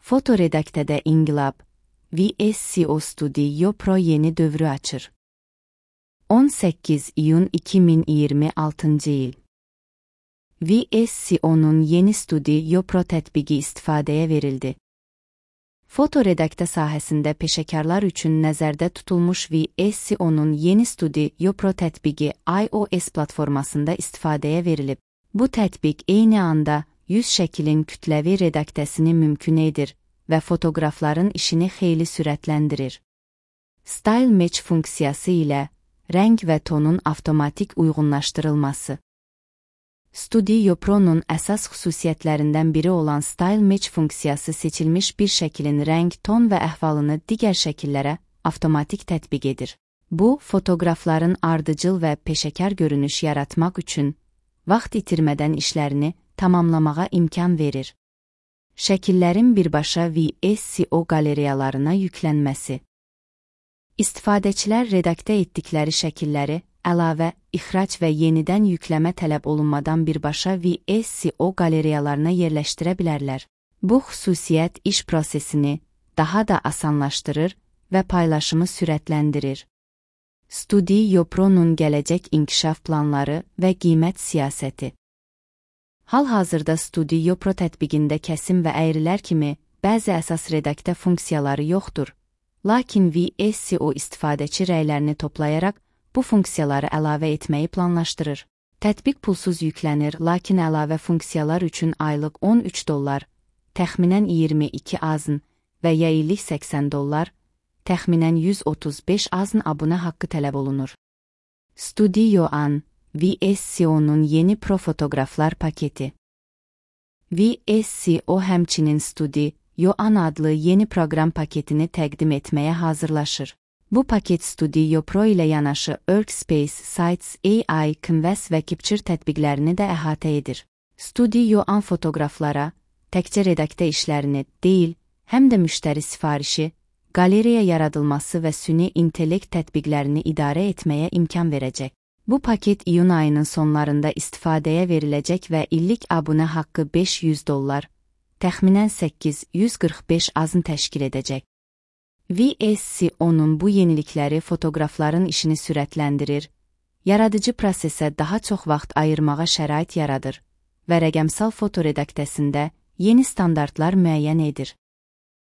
Fotoredaktədə İnqilab VSCO Studio Pro yeni dövrü açır. 18 iyun 2026 il. VSCO'nun yeni Studio Pro tətbiqi istifadəyə verildi. Fotoredaktə sahəsində peşəkarlar üçün nəzərdə tutulmuş VSCO'nun yeni Studio Pro tətbiqi iOS platformasında istifadəyə verilib. Bu tətbiq eyni anda 100 şəklin kütləvi redaktəsini mümkün edir və fotoqrafların işini xeyli sürətləndirir. Style Match funksiyası ilə rəng və tonun avtomatik uyğunlaşdırılması. Studio Pro'nun əsas xüsusiyyətlərindən biri olan Style Match funksiyası seçilmiş bir şəklin rəng, ton və əhvalını digər şəkillərə avtomatik tətbiq edir. Bu, fotoqrafların ardıcıl və peşəkar görünüş yaratmaq üçün vaxt itirmədən işlərini tamamlamağa imkan verir. Şəkillərin birbaşa VSCO qaleriyalarına yüklənməsi. İstifadəçilər redaktə etdikləri şəkilləri əlavə, ixrac və yenidən yükləmə tələb olunmadan birbaşa VSCO qaleriyalarına yerləşdirə bilərlər. Bu xüsusiyyət iş prosesini daha da asanlaşdırır və paylaşımı sürətləndirir. Studio Pro'nun gələcək inkişaf planları və qiymət siyasəti. Hal-hazırda Studio Pro tətbiqində kəsim və əyrilər kimi bəzi əsas redaktə funksiyaları yoxdur. Lakin VSCO istifadəçi rəylərini toplayaraq bu funksiyaları əlavə etməyi planlaşdırır. Tətbiq pulsuz yüklənir, lakin əlavə funksiyalar üçün aylıq $13, təxminən 22 AZN və ya illik $80, təxminən 135 AZN abunə haqqı tələb olunur. Studio An VSCO'nun yeni Pro fotoqraflar paketi. VSCO həmçinin Studio An adlı yeni proqram paketini təqdim etməyə hazırlaşır. Bu paket Studio Pro ilə yanaşı Workspace, Sites, AI, Canvas və Capture tətbiqlərini də əhatə edir. Studio An fotoqraflara təkcə redaktə işlərini deyil, həm də müştəri sifarişi, qaleriya yaradılması və süni intellekt tətbiqlərini idarə etməyə imkan verəcək. Bu paket iyun ayının sonlarında istifadəyə veriləcək və illik abunə haqqı $500, təxminən 845 AZN təşkil edəcək. VSCO'nun bu yenilikləri fotoqrafların işini sürətləndirir, yaradıcı prosesə daha çox vaxt ayırmağa şərait yaradır və rəqəmsal fotoredaktəsində yeni standartlar müəyyən edir.